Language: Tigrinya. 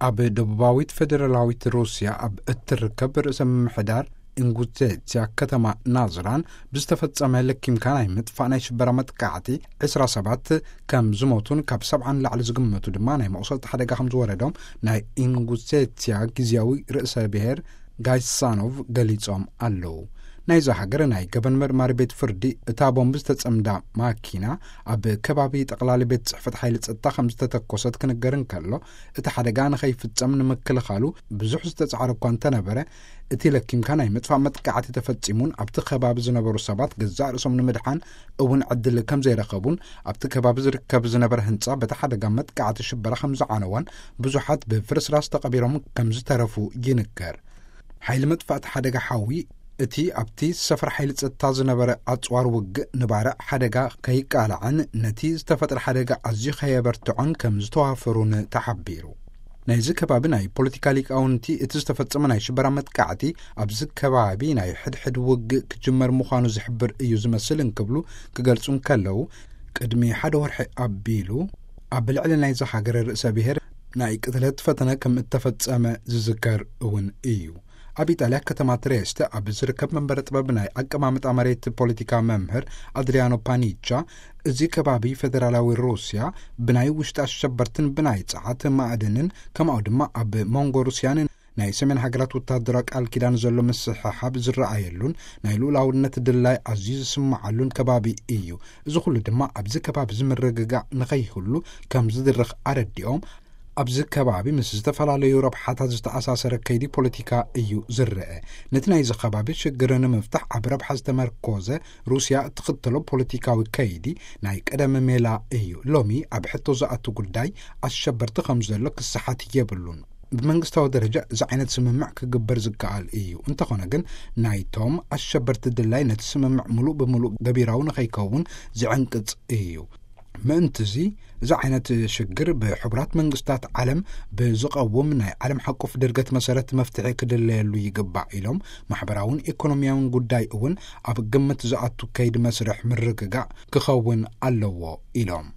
ኣብ ደቡባዊት ፌደራላዊት ሩስያ ኣብ እትርከብ ርእሰ ምምሕዳር ኢንጉዜትያ ከተማ ናዝራን ብዝተፈጸመ ለኪምካ ናይ ምጥፋእ ናይ ሽበራ መጥቃዕቲ ዕስራ ሰባት ከም ዝሞቱን ካብ ሰብዓ ንላዕሊ ዝግመቱ ድማ ናይ መቑሰልቲ ሓደጋ ከም ዝወረዶም ናይ ኢንጉዜትያ ግዝያዊ ርእሰ ብሔር ጋይሳኖቭ ገሊጾም ኣለዉ። ናይዛ ሃገር ናይ ገበን መርማሪ ቤት ፍርዲ እታ ቦምብ ዝተጸምዳ ማኪና ኣብ ከባቢ ጠቕላሊ ቤት ጽሕፈት ሓይሊ ጸጥታ ከም ዝተተኮሰት ክንገር እንከሎ፣ እቲ ሓደጋ ንኸይፍጸም ንምክልኻሉ ብዙሕ ዝተጻዕረ እኳ እንተነበረ፣ እቲ ለኪምካ ናይ ምጥፋእ መጥቃዕቲ ተፈጺሙን ኣብቲ ከባቢ ዝነበሩ ሰባት ገዛእ ርእሶም ንምድሓን እውን ዕድል ከም ዘይረኸቡን ኣብቲ ከባቢ ዝርከብ ዝነበረ ህንጻ በቲ ሓደጋ መጥቃዕቲ ሽበራ ከም ዝዓነወን ብዙሓት ብፍርስራስ ተቐቢሮም ከም ዝተረፉ ይንገር። ሓይሊ መጥፋእቲ ሓደጋ ሓዊ እቲ ኣብቲ ሰፈር ሓይሊ ጸጥታ ዝነበረ ኣጽዋር ውግእ ንባርዕ ሓደጋ ከይቃላዕን ነቲ ዝተፈጥረ ሓደጋ ኣዝዩ ከየበርትዖን ከም ዝተዋፈሩን ተሓቢሩ። ናይዚ ከባቢ ናይ ፖለቲካ ሊቃውንቲ እቲ ዝተፈጸመ ናይ ሽበራ መጥቃዕቲ ኣብዚ ከባቢ ናይ ሕድሕድ ውግእ ክጅመር ምዃኑ ዝሕብር እዩ ዝመስል እንክብሉ ክገልጹ እንከለዉ፣ ቅድሚ ሓደ ወርሒ ኣቢሉ ኣብ ልዕሊ ናይዚ ሃገር ርእሰ ብሔር ናይ ቅትለት ፈተነ ከም እተፈጸመ ዝዝከር እውን እዩ። ኣብ ኢጣልያ ከተማ ትሬስተ ኣብ ዝርከብ መንበረ ጥበብ ናይ ኣቀማምጣ መሬት ፖለቲካ መምህር ኣድሪያኖ ፓኒቻ፣ እዚ ከባቢ ፌደራላዊ ሩስያ ብናይ ውሽጢ ኣሸበርትን ብናይ ጸዓት ማዕድንን ከምኡ ድማ ኣብ መንጎ ሩስያን ናይ ሰሜን ሃገራት ወታደራዊ ቃል ኪዳን ዘሎ ምስሕሓብ ዝረኣየሉን ናይ ልኡላውነት ድላይ ኣዝዩ ዝስምዓሉን ከባቢ እዩ። እዚ ኩሉ ድማ ኣብዚ ከባቢ እዚ ምርግጋእ ንኸይህሉ ከም ዝድርኽ ኣረዲኦም፣ ኣብዚ ከባቢ ምስ ዝተፈላለዩ ረብሓታት ዝተኣሳሰረ ከይዲ ፖለቲካ እዩ ዝረአ። ነቲ ናይዚ ከባቢ ሽግር ንምፍታሕ ኣብ ረብሓ ዝተመርኮዘ ሩስያ እትኽተሎ ፖለቲካዊ ከይዲ ናይ ቀደም ሜላ እዩ። ሎሚ ኣብ ሕቶ ዝኣቱ ጉዳይ ኣሸበርቲ ከም ዘሎ ክሰሓት የብሉን። ብመንግስታዊ ደረጃ እዚ ዓይነት ስምምዕ ክግበር ዝከኣል እዩ። እንተኾነ ግን ናይቶም ኣሸበርቲ ድላይ ነቲ ስምምዕ ምሉእ ብምሉእ ገቢራዊ ንኸይከውን ዝዕንቅጽ እዩ። ምእንትዚ እዚ ዓይነት ሽግር ብሕቡራት መንግስታት ዓለም ብዝቐውም ናይ ዓለም ሓቆፍ ድርገት መሰረት መፍትሒ ክድለየሉ ይግባእ ኢሎም፣ ማሕበራውን ኢኮኖሚያውን ጉዳይ እውን ኣብ ግምት ዝኣቱ ከይዲ መስርሕ ምርግጋእ ክኸውን ኣለዎ ኢሎም።